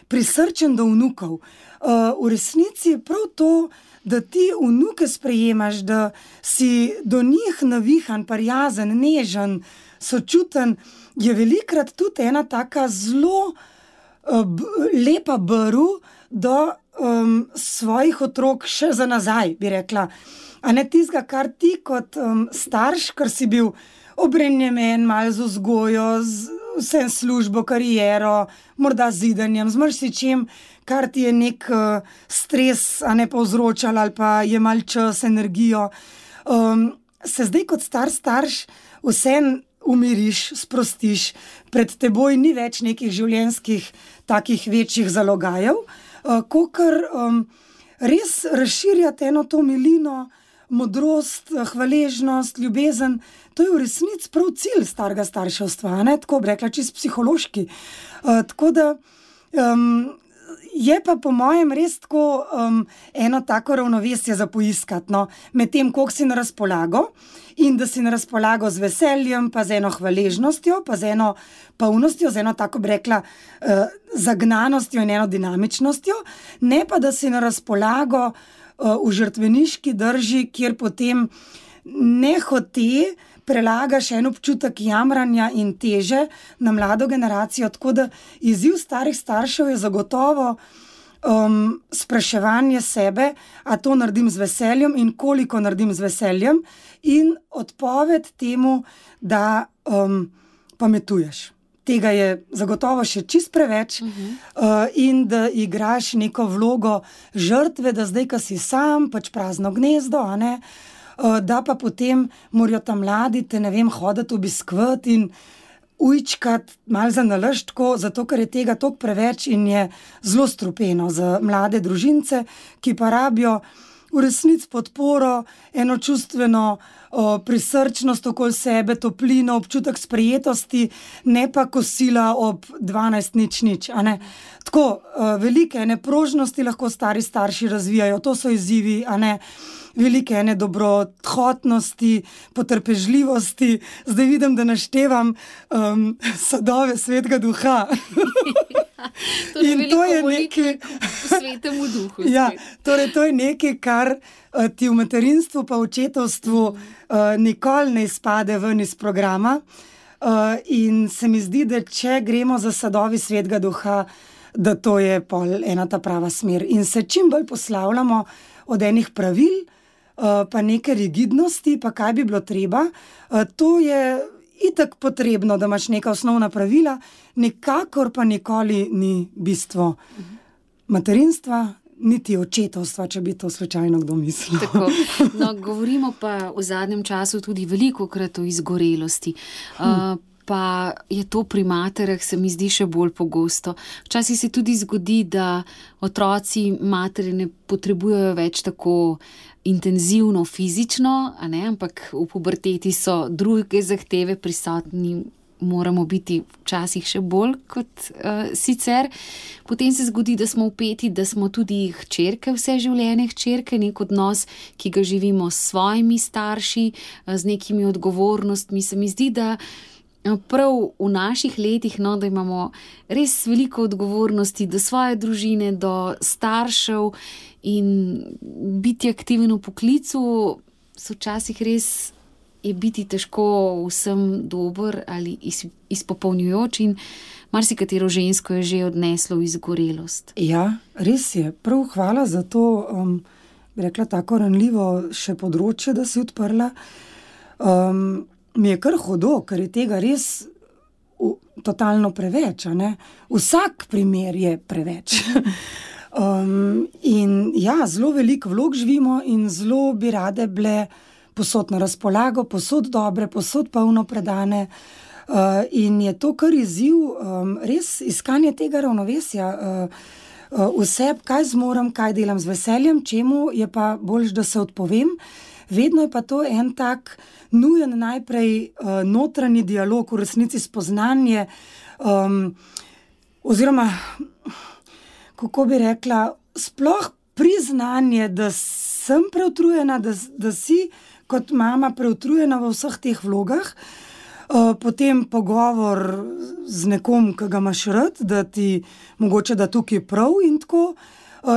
prisrčen do vnukov. V resnici je prav to, da ti vnuke sprejemaš, da si do njih navihan, prijazen, nežen, sočuten, je velikrat tudi ena taka zelo lepa brv do svojih otrok še za nazaj, bi rekla. A ne tistega, kar ti kot starš, kar si bil obremenjen malo z vzgojo, z vsem službo, kariero, morda z zidanjem, z marsičem, kar ti je nek stres, a ne povzročal ali pa je mal čas, energijo. Se zdaj kot starš vsem umiriš, sprostiš, pred teboj ni več nekih življenjskih takih večjih zalogajev, kakor res razširjati eno to milino, modrost, hvaležnost, ljubezen. To je v resnici prav cilj starega starševstva, ne? Tako bi rekla, čisto psihološki. Tako da je pa po mojem res tako eno tako ravnovesje za poiskati, no? Med tem, koliko si na razpolago in da si na razpolago z veseljem, pa z eno hvaležnostjo, pa z eno polnostjo, z eno tako bi rekla zagnanostjo in eno dinamičnostjo, ne pa da si na razpolago v žrtveniški drži, kjer potem nehote prelagaš en občutek jamranja in teže na mlado generacijo, tako da izziv starih staršev je zagotovo spraševanje sebe, a to naredim z veseljem in koliko naredim z veseljem, in odpoved temu, da pametuješ. Tega je zagotovo še čist preveč in da igraš neko vlogo žrtve, da zdaj, ko si sam, pač prazno gnezdo, a ne, da pa potem morajo tam mladi te, ne vem, hoditi obiskovati in ujčkati malo za nalašč tako, zato ker je tega toliko preveč in je zelo strupeno za mlade družince, ki pa rabijo v resnici podporo, eno čustveno prisrčnost okoli sebe, toplino, občutek sprejetosti, ne pa kosila ob 12:00, a ne. Tako, velike ene prožnosti lahko stari starši razvijajo, to so izzivi, a ne. Velike ene dobrohotnosti, potrpežljivosti. Zdaj vidim, da naštevam sadove Svetega Duha. In to je nekaj Svetemu Duhu. Ja, torej to je nekaj, kar ti v materinstvu pa v očetovstvu nikoli ne izpade ven iz programa. In se mi zdi, da če gremo za sadovi Svetega Duha, da to je pol ena ta prava smer. In se čim bolj poslavljamo od enih pravil, pa neke rigidnosti, pa kaj bi bilo treba. To je itak potrebno, da imaš neka osnovna pravila, nikakor pa nikoli ni bistvo materinstva, niti očetovstva, če bi to slučajno kdo mislil. Tako. No, govorimo pa v zadnjem času tudi velikokrat o izgorelosti. Pa je to pri materah, se mi zdi, še bolj pogosto. Včasih se tudi zgodi, da otroci matere ne potrebujejo več tako intenzivno fizično, a ne, ampak v puberteti so druge zahteve prisotni, moramo biti včasih še bolj kot sicer. Potem se zgodi, da smo vpeti, da smo tudi hčerke, vse življenje hčerke, nek odnos, ki ga živimo s svojimi starši, z nekimi odgovornostmi. Se mi zdi, da prav v naših letih, da imamo res veliko odgovornosti do svoje družine, do staršev in biti aktiven v poklicu, so včasih res je biti težko vsem dober ali izpopolnjujoč in marsikatero žensko je že odneslo v izgorelost. Ja, res je. Prav hvala za to, bi rekla, tako ranljivo še področje, da si odprla. Mi je kar hudo, ker je tega res totalno preveč, a ne? Vsak primer je preveč. In ja, zelo veliko vlog živimo in zelo bi rade bile posod na razpolago, posod dobre, posod polno predane. In je to kar izziv, res iskanje tega ravnovesja. Vse, kaj zmorem, kaj delam z veseljem, čemu je pa boljš, da se odpovem. Vedno je pa to en tak nujen najprej notranji dialog, v resnici spoznanje, oziroma, kako bi rekla, sploh priznanje, da sem preutrujena, da si kot mama preutrujena v vseh teh vlogah, potem pogovor z nekom, ki ga imaš rad, da ti mogoče da tukaj prav in tako,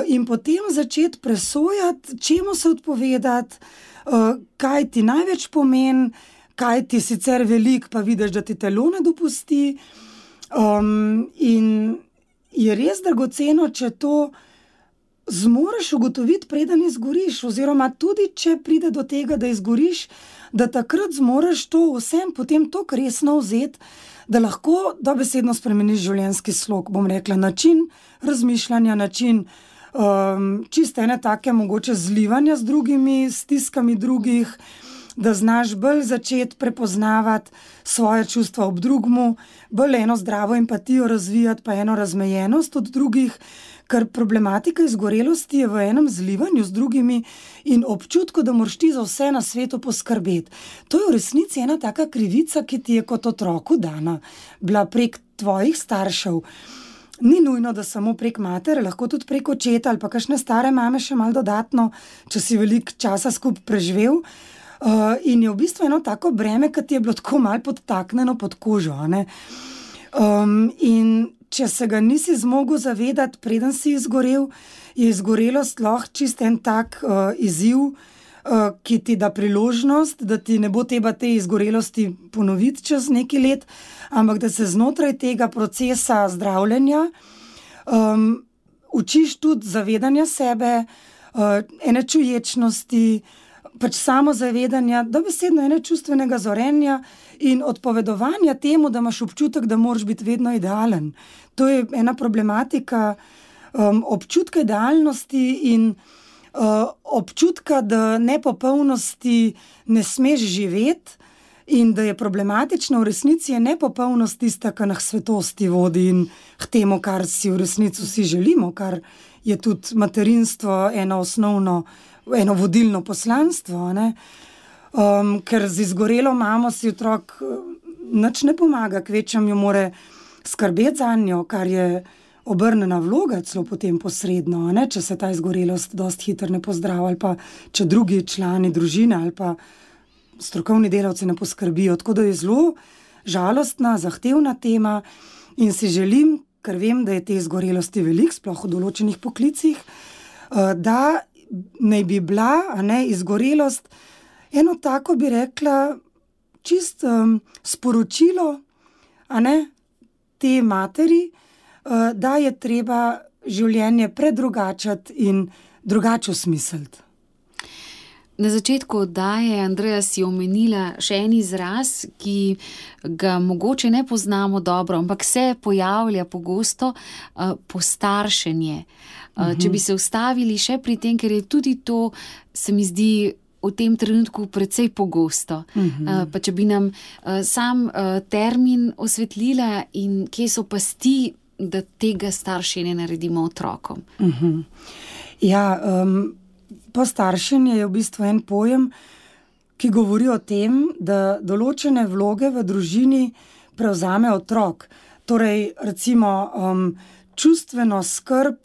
in potem začeti presojati, čemu se odpovedati, kaj ti največ pomeni, kaj ti sicer veliko, pa vidiš, da ti telo ne dopusti. In je res dragoceno, če to zmoreš ugotoviti, preden izgoriš, oziroma tudi, če pride do tega, da izgoriš, da takrat zmoreš to vsem potem toliko resno vzeti, da lahko dobesedno spremeniš življenjski slog, bom rekla, način razmišljanja, način čiste ene take mogoče zlivanja z drugimi, stiskami drugih, da znaš bolj začeti prepoznavati svoje čustva ob drugmu, bolj eno zdravo empatijo razvijati, pa eno razmejenost od drugih, ker problematika izgorelosti je v enem zlivanju z drugimi in občutku, da moraš ti za vse na svetu poskrbeti. To je v resnici ena taka krivica, ki ti je kot otroku dana, bila prek tvojih staršev. Ni nujno, da samo prek matere, lahko tudi prek očeta ali pa kakšne stare mame še malo dodatno, če si veliko časa skupaj preživel. In je v bistvu eno tako breme, ki ti je bilo tako malo podtaknjeno pod kožo, a ne? In če se ga nisi zmogel zavedati, preden si izgorel, je izgorelost lahko čist en tak izziv, ki ti da priložnost, da ti ne bo treba te izgorelosti ponoviti čez nekaj let, ampak da se znotraj tega procesa zdravljenja učiš tudi zavedanja sebe, ene čuječnosti, pač samozavedanja, dobesedno ene čustvenega zorenja in odpovedovanja temu, da imaš občutek, da moraš biti vedno idealen. To je ena problematika občutka idealnosti in občutka, da nepopolnosti ne smeš živeti in da je problematično v resnici je nepopolnost tista, ki nas svetosti vodi in k temu, kar si v resnici vsi želimo, kar je tudi materinstvo eno vodilno poslanstvo, ne? Ker z izgorelo mamo si otrok nič ne pomaga, kvečem jo more skrbeti zanjo, kar je obrnjena vloga celo potem posredno, ne? Če se ta izgorelost dosti hitro ne pozdravi ali pa če drugi člani družine ali pa strokovni delavci ne poskrbijo. Tako da je zelo žalostna, zahtevna tema in si želim, ker vem, da je te izgorelosti veliko, sploh v določenih poklicih, da naj bi bila, a ne, izgorelost eno tako, bi rekla, čist sporočilo, a ne, te materi, da je treba življenje predrugačiti in drugače osmisliti. Na začetku oddaje, Andreja, si omenila še en izraz, ki ga mogoče ne poznamo dobro, ampak se pojavlja pogosto, postaršenje. Če bi se ustavili še pri tem, ker je tudi to, se mi zdi, v tem trenutku precej pogosto. Pa če bi nam sam termin osvetlila in kje so pasti, da tega staršenja naredimo otrokom. Ja, postaršenje je v bistvu en pojem, ki govori o tem, da določene vloge v družini prevzame otrok. Torej, recimo, čustveno skrb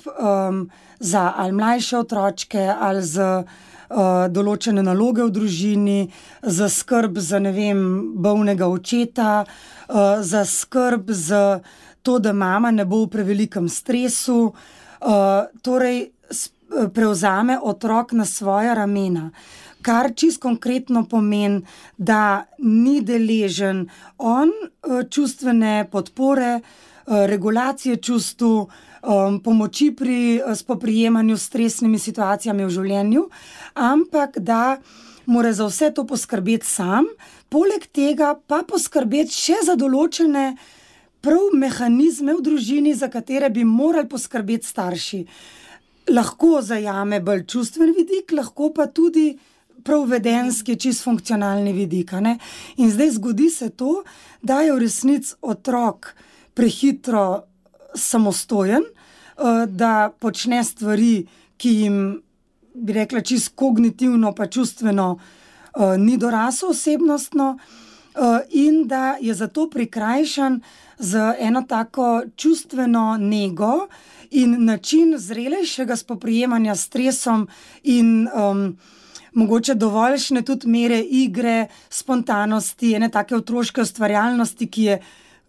za ali mlajše otročke ali za določene naloge v družini, za skrb za, bolnega očeta, za skrb za to, da mama ne bo v prevelikem stresu. Torej, prevzame otrok na svoja ramena, kar čisto konkretno pomeni, da ni deležen on čustvene podpore, regulacije čustv, pomoči pri spoprijemanju s stresnimi situacijami v življenju, ampak da mora za vse to poskrbeti sam, poleg tega pa poskrbeti še za določene prav mehanizme v družini, za katere bi morali poskrbeti starši. Lahko zajame bolj čustven vidik, lahko pa tudi prav vedenski, čist funkcionalni vidik. In zdaj zgodi se to, da je v resnici otrok prehitro samostojen, da počne stvari, ki jim, bi rekla, čist kognitivno pa čustveno ni dorasel osebnostno, in da je zato prikrajšan z eno tako čustveno nego in način zrelejšega spoprijemanja s stresom in mogoče dovoljšne tudi mere igre, spontanosti, ene take otroške ustvarjalnosti, ki je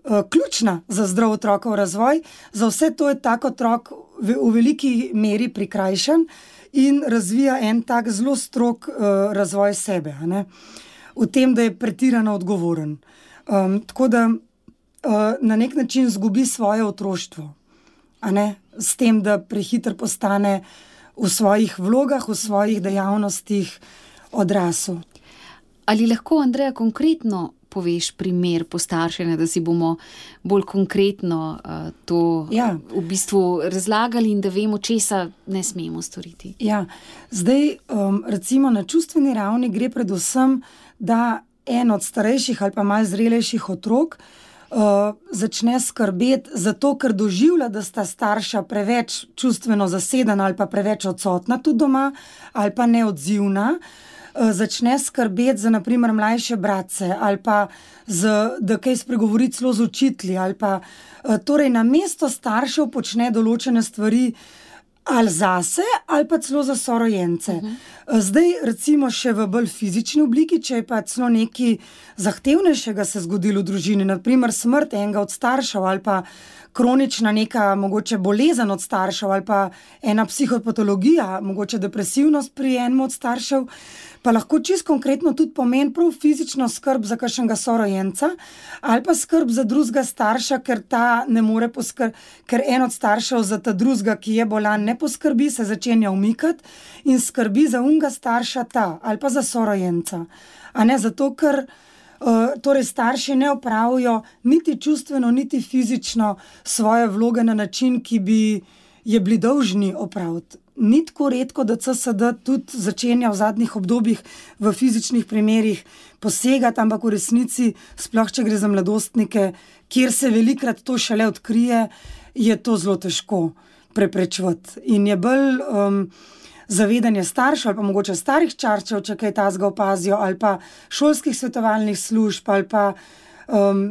ključna za zdrav otrokov razvoj. Za vse to je tak otrok v veliki meri prikrajšan in razvija en tak zelo strog razvoj sebe, v tem, da je pretirano odgovoren. Tako da na nek način zgubi svoje otroštvo, s tem, da prehitro postane v svojih vlogah, v svojih dejavnostih odrasel. Ali lahko, Andreja, konkretno poveš primer postaršanja, da si bomo bolj konkretno to v bistvu razlagali in da vemo, česa ne smemo storiti? Ja, zdaj recimo na čustveni ravni gre predvsem, da en od starejših ali pa malo zrelejših otrok začne skrbeti zato, ker doživlja, da sta starša preveč čustveno zasedena ali pa preveč odsotna tudi doma ali pa neodzivna, začne skrbeti za, na primer, mlajše bratce ali pa da kaj spregovori celo z učitelji ali pa torej namesto staršev počne določene stvari ali zase ali pa celo za sorojence. Zdaj recimo še v bolj fizični obliki, če je pa celo nekaj zahtevnejšega se zgodilo v družini, na primer smrt enega od staršev ali pa kronična neka mogoče bolezen od staršev ali pa ena psihopatologija, mogoče depresivnost pri enem od staršev, pa lahko čisto konkretno tudi pomeni prav fizično skrb za kakšnega sorojenca ali pa skrb za drugega starša, ker ta ne more ker en od staršev za ta drugega, ki je bolan, ne poskrbi, se začenja umikati in skrbi za unga starša ta ali pa za sorojenca. Zato, ker torej starši ne opravijo niti čustveno, niti fizično svoje vloge na način, ki bi je bili dolžni opraviti. Ni tako redko, da CSD tudi začenja v zadnjih obdobjih v fizičnih primerih posegati, ampak v resnici, sploh če gre za mladostnike, kjer se velikrat to šele odkrije, je to zelo težko preprečevati. In je bolj zavedanje staršev ali pa mogoče starih čarčev, če kaj tazga opazijo, ali pa šolskih svetovalnih služb, ali pa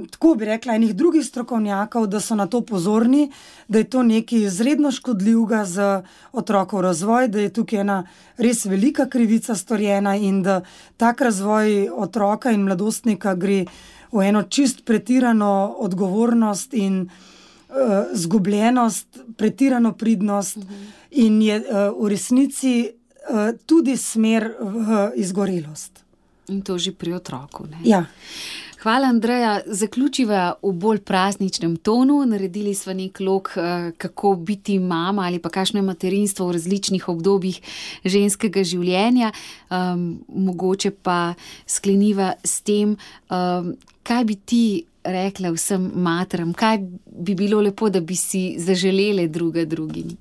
tako bi rekla, enih drugih strokovnjakov, da so na to pozorni, da je to nekaj izredno škodljivega za otrokov razvoj, da je tukaj ena res velika krivica storjena in da tak razvoj otroka in mladostnika gre v eno čist pretirano odgovornost in zgubljenost, pretirano pridnost in je v resnici tudi smer v izgorelost. In to že pri otroku, ne? Ja. Hvala, Andreja. Zaključiva v bolj prazničnem tonu. Naredili sva nek lok, kako biti mama ali pa kakšno je materinstvo v različnih obdobjih ženskega življenja. Mogoče pa skleniva s tem, kaj bi ti rekla vsem materam, kaj bi bilo lepo, da bi si zaželele druga drugim?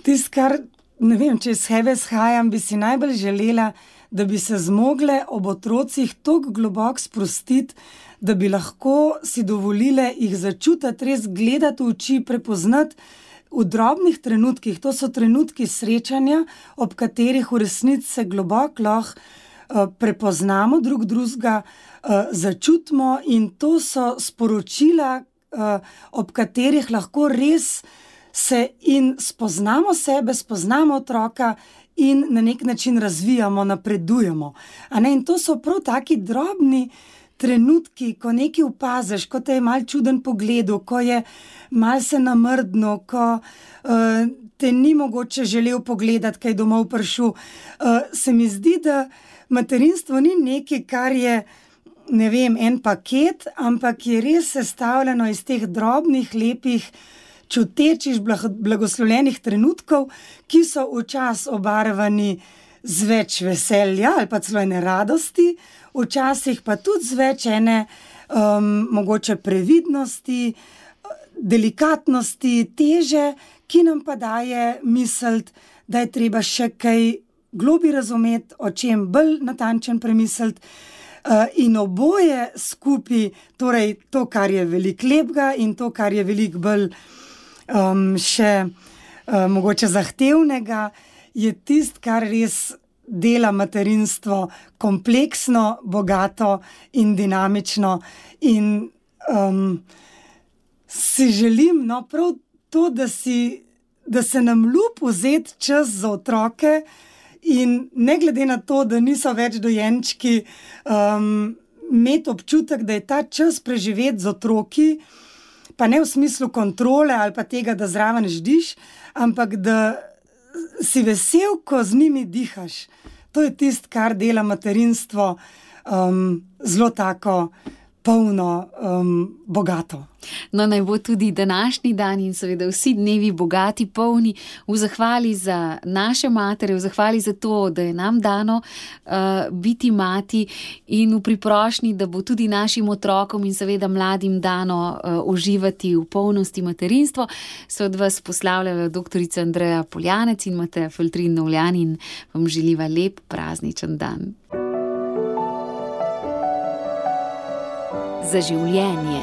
Tisto, kar, ne vem, če iz sebe shajam, bi si najbolj želela, da bi se zmogle ob otrocih toliko globoko sprostiti, da bi lahko si dovolile jih začutiti, res gledati v oči, prepoznati v drobnih trenutkih. To so trenutki srečanja, ob katerih v resnici se globoko lahko prepoznamo drugega, začutimo, in to so sporočila, ob katerih lahko res se in spoznamo sebe, spoznamo otroka in na nek način razvijamo, napredujemo. In to so prav taki drobni trenutki, ko nekaj opaziš, ko te je malo čuden pogled, ko je malo se namrdno, ko te ni mogoče želel pogledati, kaj domov prišel. Se mi zdi, da materinstvo ni nekaj, kar je, ne vem, en paket, ampak je res sestavljeno iz teh drobnih, lepih, čutečih, blagoslovljenih trenutkov, ki so včasih obarvani z več veselja ali pa celo ene radosti, včasih pa tudi z več ene mogoče previdnosti, delikatnosti, teže, ki nam pa daje misliti, da je treba še kaj globlje razumeti, o čem bolj natančen premisliti. In oboje skupaj, torej to, kar je veliko lepega, in to, kar je veliko bolj še mogoče zahtevnega, je tisto, kar res dela materinstvo kompleksno, bogato in dinamično. In si želim, prav to, da se nam ljubi vzeti čas za otroke, in ne glede na to, da niso več dojenčki, imeti občutek, da je ta čas preživeti z otroki, pa ne v smislu kontrole ali pa tega, da zraven ždiš, ampak da si vesel, ko z njimi dihaš. To je tisto, kar dela materinstvo zelo tako polno, bogato. Naj bo tudi današnji dan in seveda vsi dnevi bogati, polni v zahvali za naše matere, v zahvali za to, da je nam dano biti mati, in v priprošnji, da bo tudi našim otrokom in seveda mladim dano uživati v polnosti materinstvo. Se od vas poslavljajo doktorica Andreja Poljanec in Mateja Feltrin-Novljan in vam želiva lep prazničen dan. Za življenje.